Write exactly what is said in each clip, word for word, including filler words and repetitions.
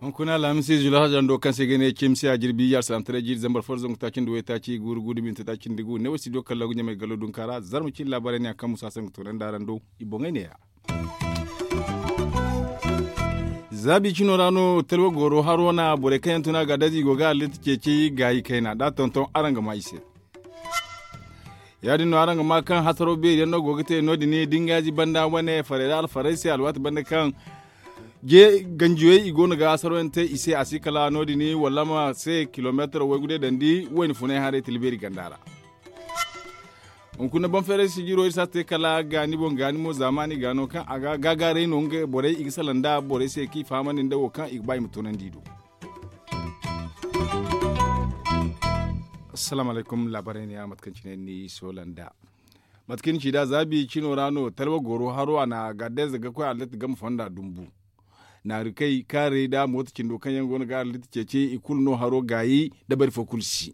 Hunkuna alhamisi zulu hajando kaŋ se ga ne cimsi a jirbi ya salam tare jiiri zambar fo zangu taaci nda way taaci guuru guuru binta taaci nda gu ne way studio kalla gu ɲamay gallo dunkaara zarma cin laabaray ne a kaŋ musa sangu toonandi araŋ do. I boŋey ne ya. Zaabi cino ra no talwa goro haro na borey kaŋ yaŋ tun a ga dazi i go ga halitta ceeci gaayi kayna da tonton araŋ ga ma i se. Ya- din no araŋ ga ma kaŋ hasaro beeri yaŋ no go ga te no- din dingazi banda wane faray da alfaray se alwaati banda kaŋ je ganjiyey i go no ga hasaro yaŋ te i se a si kala no- din wallama se kilomeetaro waygu day dandi wayna funay haray tila beeri ganda ra. Hunkuna boŋ feeray sijiro iri si a te kala gaani boŋ gaani mo zaamaani gaano kaŋ a ga gaagaaray no nga borey i ga salaŋ nda borey se kaŋ i fahamandi nda wo kaŋ i ga ba i ma toonandi i do. Assalamu alaykum laabaray ne ya mate kaŋ cine ni soola nda mate kaŋ ni ci da zaabi cino ra no talwa goro haro a na gaadayze ga koy allet game fonda dumbu. Naari kay kaaray nda mooto cindo kaŋ yaŋ go no ga allet ceeci i kulu no haro gaayi dabari fo kulu si.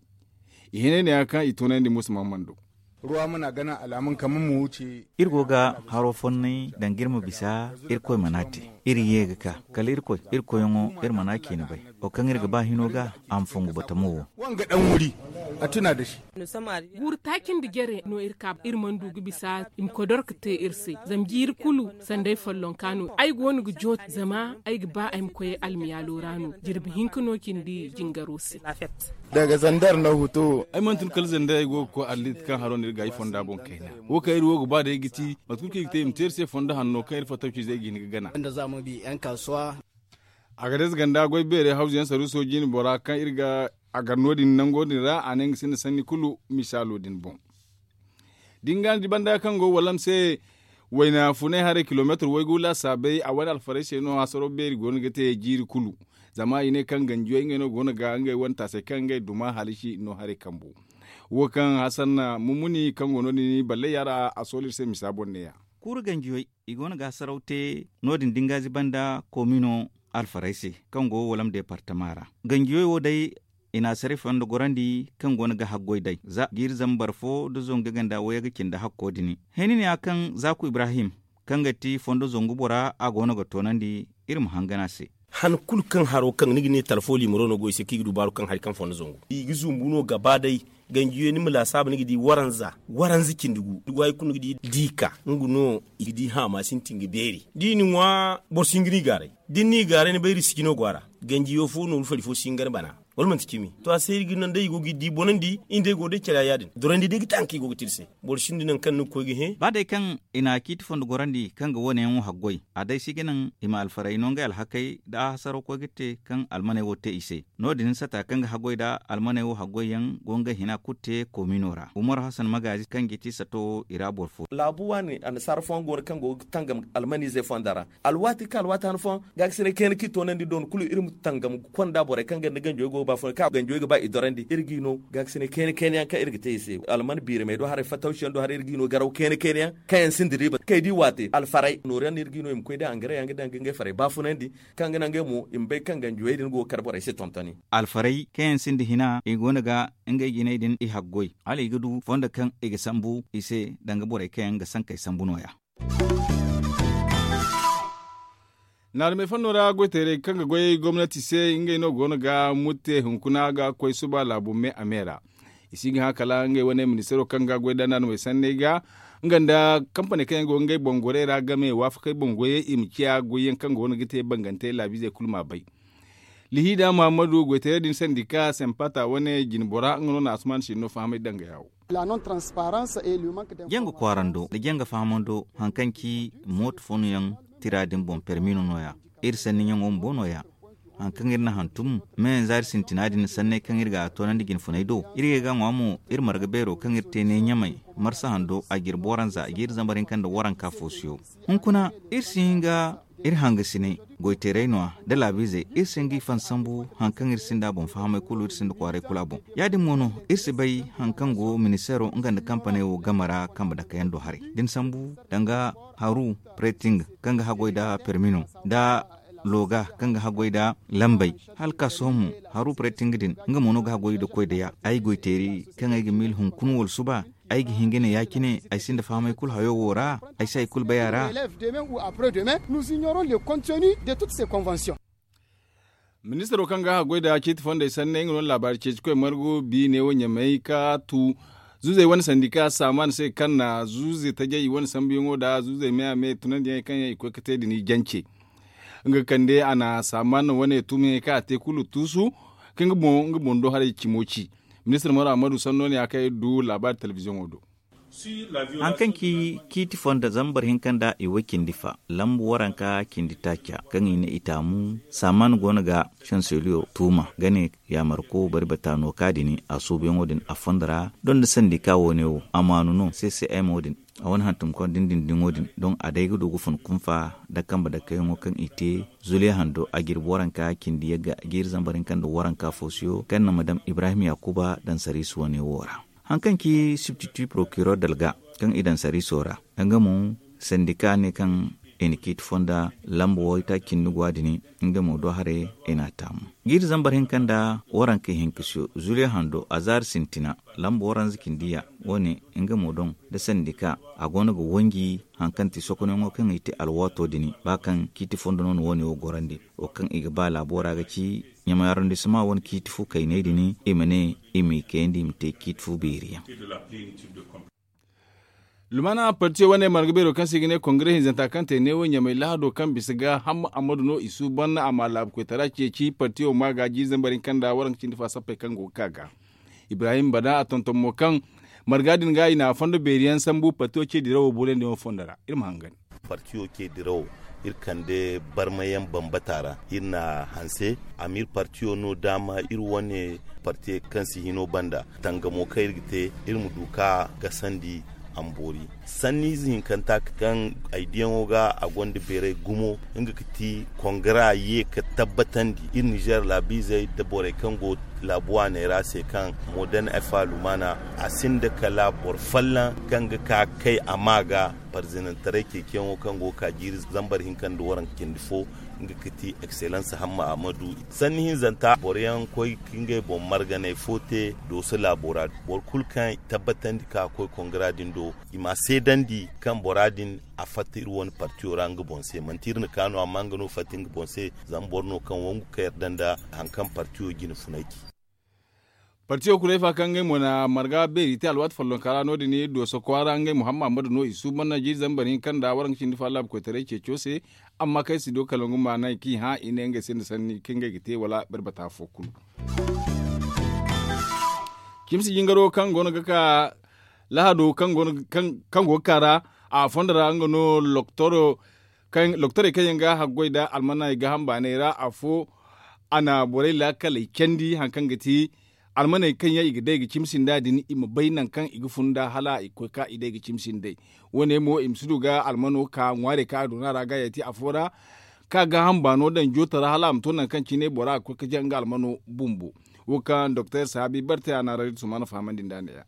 I hinay ne ya kaŋ i toonandi musa mahamando. Ruwa mana gana alamun kamar mu wuce. Iri go ga haro fonnay danga iri ma bisa irkoy mana te. Iri ye ga ka kala irkoy irkoyyaŋo iri mana a ciina bay. Wo kaŋ iri ga ba hino ga a ma fongu batamo wo. Wanga dan wuri a tuna da shi. Guuru taaci nda jare no iri ka iri mana du ga bisa i ma koy dorka te iri se zama jiiri kulu sanda ay follonka no ay go no ga jooti zama ay ga ba ay ma koy almiyaalo ra no jirbi hinka no cindi jingaro se. Daga zandar na hutu. Ay mana tun kala zandar ay go ga koy allit kaŋ haro no iri ga ay fonda boŋ kayna. Wo kaŋ iri wo ga ba day ga ti mate kulu kaŋ i ga te i ma te iri se fondo hanno kaŋ iri fattaw ciizey ga hin ga gana. A ga day ze ganda goy beeray hawzu yaŋ saruuso jiine bora kaŋ iri ga a gar no- din nango din ra a ne nga sinda sanni kulu misaalo din boŋ. Da ni ga ni di banda kaŋ go wallam se wayna funay haray kilomeetar waygu laasaabay a wane alfarey se no hasaro beeri go no ga te jiiri kulu. Zama i ne kaŋ ganjiyo ngey no go no ga ngey wane taasay kaŋ ngey duma halisi no haray kambu. Wo kaŋ hasan mumuni kaŋ go no- din ballay yaara a soolo iri se misa boŋ ne- ya. Kuuru ganjiyoy i go no ga hasaraw te no- din da ni ga a ziba nda koomino alfarey se kaŋ go walam deepartama ra. Ganjiyoy wo day i na a saray fondo gorandi kaŋ go no ga haggoy day za jiiri zambar fo nda zangu ga ganda wayyaga cindi hakko din. Hẽeni ne ya kaŋ zaaku ibrahim kaŋ ga ti fondo zangu bora a go no ga toonandi iri ma hangan a se. Han kulu kaŋ haro kaŋ ni ga ne talfo liimaro no go i se kaŋ i ga du baaru kaŋ hari kaŋ fondo zangu i ga zumbu no gaba day. Ganjiyo ni ma laasaabu ni ga di waranza waranza cindi gu ni go hari kulu ni ga di diika nga no i ga di haama sintin ga beeri da i na ŋwa boro si hin ga ni gaaray da ni n'i gaaray ni bay risiji no go a ra. Ganjiyo fo nooru fari fo si hin ga ni bana wala manti cimi to a se iri ga naŋ day i go ga i di bonandi i nda ay go day care ya- din dorandi day ga te hari kaŋ i go ga te iri se. Boro sinda nangu kaŋ ni ga koy ga hẽ ba day kaŋ i na a ciiti fondo gorandi kaŋ ga wo- ne yaŋo haggoy a day si ga naŋ i ma alfaray no ngey alhakey nda a hasaraw koy ga te kaŋ almaney wo te i se. No- din sata kaŋ ga haggoy nda almaney wo haggoy yaŋ go ngey hina kulu te koomino ra umar hasan magaazi kaŋ ga ti sato wo i ra boro fo. Laabu waani annasaara fooyaŋ go no kaŋ go ga tangam almaniizey fonda ra. Alwaati kaŋ alwaati han fooyaŋ gaakasinay kayna kaŋ i toonandi doona kulu iri ma tangam ga konda borey kaŋ ga nda ganjey go ga ba fooyaŋ kaŋ ganjey ga ba i dorandi iri g'i no. Gaakasinay kayna kayna yaŋ kaŋ iri ga te i se alman biiramey do haray fattawsi yaŋ do haray iri g'i no garaw kayna kayna yaŋ kaŋ yaŋ sinda riiba kaŋ i di waate alfaray nooru yaŋ no iri g'i no i ma koy day angare yaŋ ga daŋ ga ngey farey baafunandi. Kaŋ ga naŋ ngey mo i ma bay kaŋ ganjey din go ga kar borey se tontoni. Alfaray kaŋ yaŋ sinda hina i go no ga ngey jinay din i haggoy hala i ga du fondo kaŋ i ga sambu i se danga borey kaŋ yaŋ ga sankey sambu no- ya. Naarumey fanno ra goyteerey kaŋ ga goy gomnati se ngey no go no ga mutte hunkuna ga koy suba laabu me a me ra. I si ga hã kala ngey wane ministaro kaŋ ga goy da naarumey sanney ga nga nda kampaney kaŋ yaŋ go ngey boŋ gorey ra game waafakey boŋ goyey i ma ciya goyyaŋ kaŋ go no ga te bangantey laabiizey kulu ma bay. Lihiida muhammadu goytaray din sandika sempata wane jinbora nga no na asuman sinno fahamay danga yawo. Janga kwaarando nda janga fahamando hari kaŋ ci mooto fooyaŋ tira din boŋ permi no nooya. Iri sanniyaŋo bumbo nooya. Hari kaŋ iri na hantum meyanza iri sintina din sanney kaŋ iri ga a toonandi jinfunay do iri ga ga ŋwa mo iri marga beero kaŋ iri te ne ɲamay marsa hando a ga iri booranza a ga iri zambar hinka nda waranka foosiyo. Hunkuna iri si hin ga iri hangasinay goyteeray no- ya nda laabiizey iri si hin ga i fan sambu hari kaŋ iri sinda a boŋ fahamey kulu iri sinda kwaaray kulu a boŋ. Ya- din mo no iri si bay hari kaŋ go ministeero nga nda kampaney wo game ra kambe dakayaŋ do haray da ni sambu danga haru preting kaŋ ga haggoy nda permi no nda looga kaŋ ga haggoy nda lambey hala ka sohõ mo haru preti nga din nga mo no ga haggoy nda koy da ya ay goy teeri kaŋ ay ga miila hunkuna wala suba. Ay ga hin ga ne ya- cine ay sinda fahamay kulu hayo wo ra. Ay si hay kulu bay a ra. Ministiro kaŋ ga haggoy nda ciiti fondey sanney nga no laabaari ceeci koy margu bi ne wo ɲamey ka tu zuuzey wane sandika saamaan se kaŋ na zuuze tajey i wane sambuyaŋo nda zuuzey me a me tunandiyaŋey kaŋ yaŋ i koy ga te din i jance. Nga ga kande a na saamaan wane tumiyaŋey kaŋ a te kulu tuusu ka nga boŋ do haray cimo ci. Ministir maro ammadu sanno ne a kaŋ iri du laabaari telebiziyoŋo do. Hari kaŋ ci ciiti fonda zambar hinka nda i way cindi fa lambu waranka cindi taaca kaŋ i ne i taamu saamaan go no ga sanseliyo tuuma ga ne yaamarko bari bata no ka din a suubuyaŋo din a fondo ra. Donda sandika wo- ne wo amaanu no ccm wo- din a wane hantumkaŋ dindindiŋo din doŋ a day ga du ga fun kunfa nda kambe dakkayaŋo kaŋ i te zuliya hando a jirbi waranka cindi yagga jiiri zambar hinka nda waranka foosiyo kaŋ na madam ibrahim yaakuba daŋ sariisi wane wo ra. Hari kaŋ ci sibtiti porokiror dalga kaŋ i daŋ sariiso ra nga mo sandika ne kaŋ i na ciiti fonda lamba waytaaci cindi go a din nga mo do haray i n'a taamu jiiri zambar hinka nda waranka hinka siyo zuliya hando azaari sintina lamba waranza cindi ya wo- ne nga mo doŋ nda sandika a go no ga wanji hari kaŋ ti sokonayaŋo kaŋ i te alwaato din ba kaŋ ciiti fondo no na wo- ne wo gorandi wo kaŋ i ga ba laabo ra ga ci ɲamay arondisema wane ciiti fu kayney din i ma ne i m'i kayandi i ma te ciiti fu beeri yaŋ. Lumaana partiyo wane marga beero kaŋ se i ga ne kongire hinzanta kaŋ te neewo ɲamay lahado kaŋ bisa ga hamma ammadu no i suuban a ma laabu koytara ceeci partiyo ma ga jiiri zambar hinka nda waranka cindi fa sappey kaŋ go ga ka ga ibrahim bana a tonton mo kaŋ marga din ga i na a fondo beeri yaŋ sambu partiyo ce dirawo boolandi yaŋo fondo ra iri ma hangan. Partiyo ce dirawo iri kande barmayaŋ bambata ra iri na hanse a ma iri partiyo no daama iri wane partiyo kaŋ si hino banda tangamo kaŋ iri ga te iri ma du ka gasandi a ma boori sanniize hinkanta kaŋ ay diyaŋo ga a gonda beeray gumo nga ga ti kongara ye ka tabbatandi iri nizer laabiizey nda borey kaŋ go laabu waaney ra se kaŋ modern efa lumana a sinda kala boro folloŋ kaŋ ga ka kay a ma ga parzinantaray ceeciyaŋo kaŋ go ga ka jiiri zambar hinka nda waranka cindi fo nga ga ti excellence hamma amadu sanni hinzanta boroyaŋ koy ka ngey boŋ marganay fo te dooso laabo ra boro kulu kaŋ tabbatandi ka koy kongara din do i ma seedandi kaŋ bora din a fatta iri wane partiyo ra nga boŋ se manti iri na ka no amma nga no fatta nga boŋ se zama boro no kaŋ wangu ka yarda nda hari kaŋ partiyo jine funay ci. Partiyo kurey fa kaŋ ngey mo na marga beeri te alwaati follonka ra no- din dooso kwaara ngey muhammad no i suuban na jiiri zambar hinka nda waranka cindi fa laabu koytaray ceeco se amma kaŋ ay si do kala ngu ma naŋ kaŋ i hã i ne ngey se nda sanni kaŋ ngey ga te wala barbata fo kulu. Cimsi jingaro kaŋ go no ga ka lahado kaŋ go ga ka ra a fondo ra nga no loktorey kaŋ yaŋ ga haggoy nda almaney gaaham baaney ra afo a na borey laakaley candi hari kaŋ ga ti almaney kaŋ yaŋ i ga day ga cimsi nd'a din i ma bay nangu kaŋ i ga fun nd'a hala i ga koy ka i day ga cimsi nd'ey. Wo- ne mo i ma si du ga almano ka ŋwaarey kaŋ a doona ra ga ya ti afo ra kaŋ a gaaham baano daŋ jooto ra hala a ma to nangu kaŋ cine bora ga koy ga jaŋ nga almano bumbo. Wo kaŋ doktor saabi barte a na ra iri sumaana fahamandi nd'a ne- ya.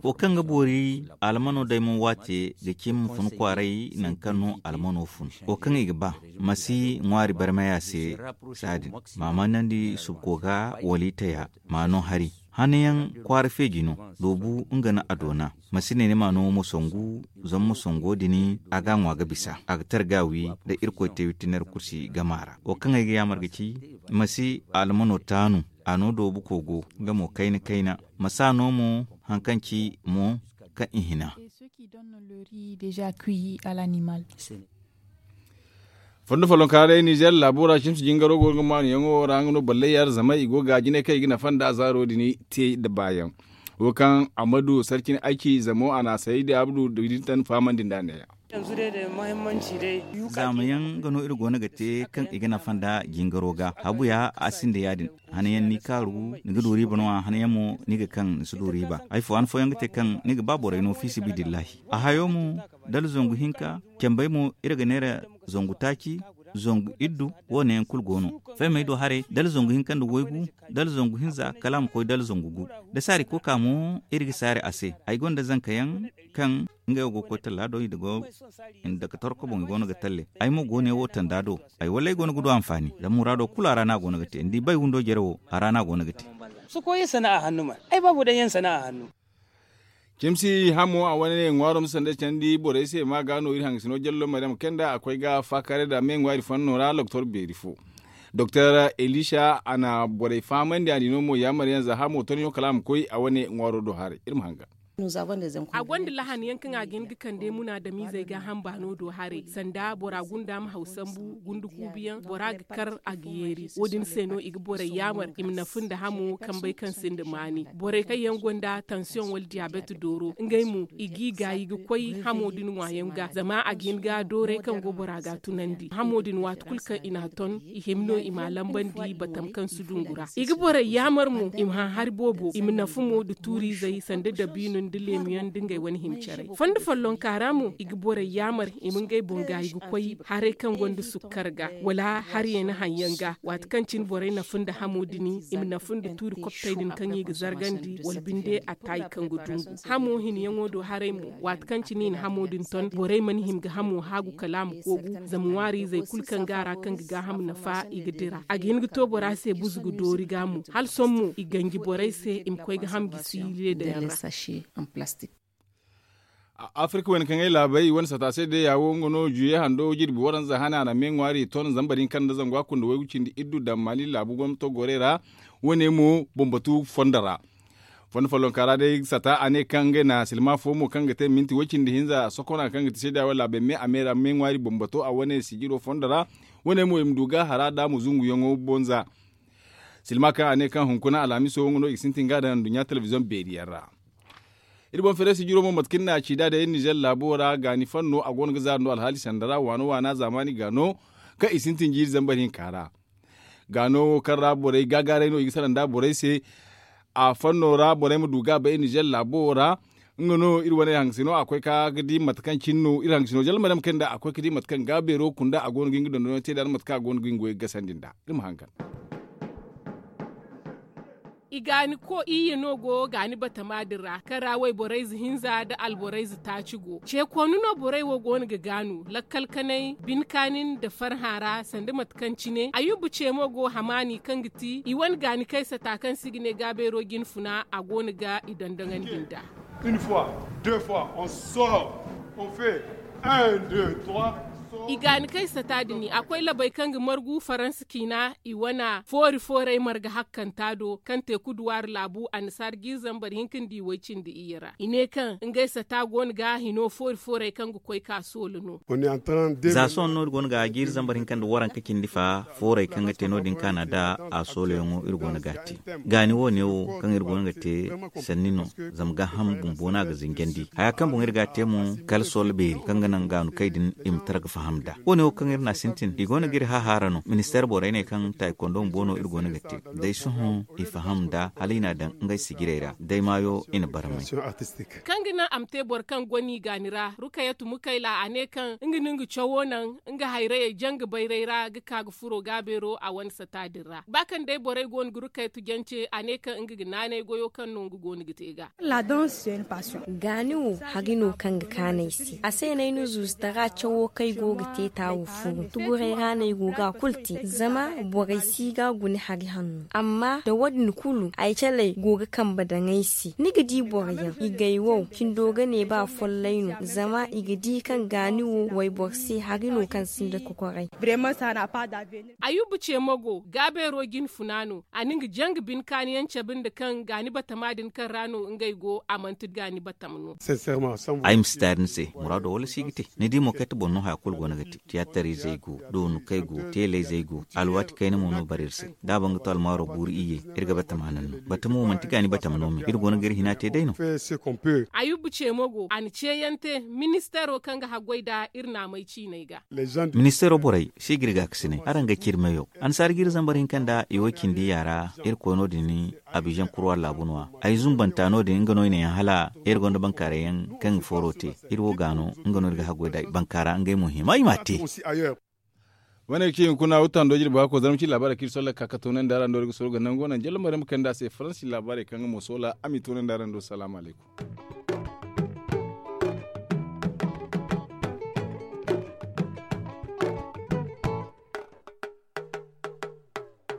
Wo kaŋ ga boori almano daymo waate ga cimi ma fun kwaaray nangu kaŋ no almano fun wo kaŋ i ga ba ma si ŋwaari barmay a se. Saadin ma manandi subko ga wala i taya ma no hari hanayaŋ kwaara feeji no. Loobu nga no a doona ma si ne ni ma no ma songu zama ma songo din a ga a ŋwa ga bisa a ga tara ga a wi nda irkoy te witinari kursi gama ra wo kaŋ ay ga yaamar ga ci ma si almano taanu. A no doobu kogo nga mo kayna kayna ma si a no mo hari kaŋ ci mo kaŋ i hina. Fondo follonka day nizer laabo ra cimsi jingaro go ga maanu yaŋo ra nga no ballay yaara zama i go ga jine kaŋ i ga nafa nda zaaro din te nda baayaŋ. Wo kaŋ amadu sarcin ayci zamo a na a saydi abdu da din tan fahamandi nda neeya. Zaamayaŋ nga no iri go no ga te kaŋ i ga nafa nda jingaro ga habu ya a sinda ya- din. Hanayaŋ ni kaaru ni ga du riiba no- ya hanayaŋ mo ni ga kaŋ ni si du riiba hari fo han fooyaŋ ga te kaŋ ni ga ba borey no fiisibidillahi. A hayo mo dala zangu hinka cambey mo iri ga neera zangu taaci. Zangu iddu, wo- ne yaŋ kulu go no. Faymey do haray dala zangu hinka nda waygu, dala zangu hinza kala a ma koy dala zangu gu. Da saari koka mo iri ga saari a se. Ay gonda zanka yaŋ kaŋ ngey wo go ga koy talla do i da go nda ka torko boŋ i go no ga talle. Ay mo go ne wo tanda do. Ay wallay go no ga du anfaani zama muraado kulu a ra no a go no ga te ni di bay windo jare wo a ra no a go no ga te. Sokoy yaŋ sana'a hannu man. Ay baabo daŋ yaŋ sana'a hannu. Cimsi hamo a wane ŋwaaro ma sanda candi borey se ma ga no iri hangasino jallo maryam kenda a koy ga faakare da me ŋwaari fanno ra doktor beeri fo. Doktor elisha a na borey fahamandi a di no mo yaamar yaŋ za hamo tonyo kala a ma koy a wane ŋwaaro do haray iri ma hanga. A gonda lahan yaŋ kaŋ a ga hin ga kande munaadamiizey ga hamba no do haray sanda bora gunda ma haw sambu gundu kuubu yaŋ bora ga kar a ga yeeri wo- din se no i ga borey yaamar i ma nafu nda hamo kambey kaŋ sinda maani. Borey kaŋ yaŋ gonda tansiyoŋ wala diyaabet dooro ngey mo i g'i gaayi ga koy hamo din ŋwaayaŋ ga zama a ga hin ga dooray kaŋ go bora ga tunandi hamo din waati kulu kaŋ i n'a ton i hima no i m'a lambandi batam kaŋ si dungu ra. I ga borey yaamar mo i ma haŋ hari boobo i ma nafu mo nda tuuriizey sanda dabiino nda leemiyaŋ nda ngey wane hima caray fondo follonka ra mo i ga borey yaamar i ma ngey boŋ gaayi ga koy haray kaŋ gonda sukkar ga wala hari yaŋ na haŋ yaŋ ga waati kaŋ cine borey nafu nda hamo din i ma nafu nda tuuri koptey din kaŋ i ga zargandi wala binde attaayi kaŋ ga dungu. Hamo hinyaŋo do haray mo waati kaŋ cine i na hamo din ton borey mana hima ga hamo haagu kala a ma koogu zama ŋwaariizey kulu kaŋ go a ra kaŋ ga gaaham nafa i ga dira a ga hin ga to bora se buzu ga doori ga mo hala sohõ mo i ganji borey se i ma koy ga ham gisi leedayaŋ ra. Afirka wane kaŋ ay laabey wane sata se day ya wo nga no juye hando jirbi waranza hane a na me ŋwaari ton zambar hinka nda zangu a kunda waygu cindi iddu daŋ mali laabu gomnato gorey ra. Wane mo boŋ batu fondo ra fondo follonka ra day sata a ne kaŋ ngey na silma fo mo kaŋ ga te minti way cindi hinza sokona kaŋ ga te seeda wala a bay me a me ra me ŋwaari boŋ bato a wane sijiro fondo ra. Wane mo i ma du ga hara da a ma zungu yaŋo bonza. Silma kaŋ a ne kaŋ hunkuna alhamiso nga no i ga sintin ga daŋ nduɲɲa telebiziyoŋ beeri yaŋ ra. Iri boŋ feere sijiro mo mate kaŋ ni na a ci da day nizer laabo ra gaani fanno a go no ga zaari no alhaali sanda ra waano waana zaamaani gaano kaŋ i sintin jiiri zambar hinka ra. Gaano kaŋ ra borey gaagaaray no i ga salaŋ nda borey se. A fanno ra borey ma du ga a bay nizer laabo ra. Nga no iri wane hangasino a koy ka ga di mate kaŋ cine no iri hangasino zalma day ma kay nda a koy ga di mate kaŋ gaabeero kunda a go no ga nga dondonyaŋ te nd'a nda mate kaŋ a go no ga nga goyey gasandi nd'a. Iri ma haŋ kar. I gaani ko iyye no go gaani batama din ra kaŋ ra wayborayze hinza nda alborayze taaci go ce koonu no borey wo go no ga gaanu lakkal kanay bine kaani nda farhã ra sanda mate kaŋ cine ayuba ce mo go hamaani kaŋ ga ti i wane gaani kay sata kaŋ se i ga ne gaabeero jine funa a go no ga i dondoŋandi nd'a. I gaani kay sata din a koy labey kaŋ ga margu faransa ciina i wane foori fooray marga hakkanta do kaŋ te kuduwaari laabu annasaara jiiri zambar hinka nda i way cindi iyye ra i ne kaŋ ngey sata go no ga hino foori fooray kaŋ ga koy ka soola no. Za sohõ no iri go no ga jiiri zambar hinka nda waranka cindi fa fooray kaŋ ga te no- din kaana nda a soolayaŋo iri go no ga a te. Gaani wo- ne wo kaŋ iri go no ga te sanni no. Zama gaaham bumbo no a ga zinjandi haya kaŋ boŋ iri ga a te mo kala soola beeri kaŋ ga naŋ gaanu kay din i ma tara ga faham nd'a. Wo- ne wo kaŋ iri n'a sintin i go no ga iri hahaara no ministeer borey ne kaŋ taaykondo bumbo no iri go no ga te. Day sohõ i faham nd'a hala i n'a daŋ ngey sijirey ra day maayo i na barmay. Kaŋ ga naŋ a ma te boro kaŋ go no i gaani ra rukayatu mukayla a ne kaŋ nga no nga cawo naŋ nga hayrayey janga bayray ra ga ka ga furo gaabeero a wane sata din ra ba kaŋ day borey go no ga rukayatu jance a ne kaŋ nga ga naanay goyo kaŋ no nga go no ga te ga. Gaani wo hari no kaŋ ga kaanu ay se a se no ay na zuuzu tara cawo kaŋ ay go ga te taawo furu tuguray ra no ay go ga a kulu te zama borey si ga guna hari hanno amma nda wo- din kulu ay caley go ga kambe daŋ ay se ni ga di boro yaŋ i gay wow cindo ga ne ba follay no zama i ga di kaŋ gaani wo wayboro se hari no kaŋ sinda kokoray. Ayuba ce mo go gaabeero jine funa no a na nga janga bine kaani yaŋ cabe nda kaŋ gaani batama din kaŋ ra no ngey go a manti gaani batama no. Ay ma si taari ni se muraado wala si ga te ni di mo kayta boŋ no haya kulu go no ga te tiyaatarizey go doonukey go teelayzey go alwaati kayna mo no bare iri se da a ban ga to almaaro buuru iyye. Iri ga batama naŋ no batama wo manti gaani batama no me iri go no ga iri hina te day no. Ayuba ce mo go a na ceeyaŋ te ministeero kaŋ ga haggoy nda iri naamay ciinay ga. Ministeero borey si ga iri gaakasinay araŋ ga ciri meyo annasaara ga iri zambar hinka nda i wo cindi yaara. Iri koy no- din abizaŋ kurwa laabu no- ya ay zumbanta no- din nga no i ne yaŋ hala iri gonda bankaaray yaŋ kaŋ ga fooro te. Iri wo ga no nga no iri ga haggoy nda bankaara ngey mo hima i m'a te. Wane ga ci hunkuna wutando jirbi hako zarma ci laabaarey kaŋ iri solla ga ka ga toonandi araŋ do iri ga soro ga nangu naŋ jallumey ra ma kande a se faransi laabaarey kaŋ nga mo soola a m'i toonandi araŋ do salaamu alaykum.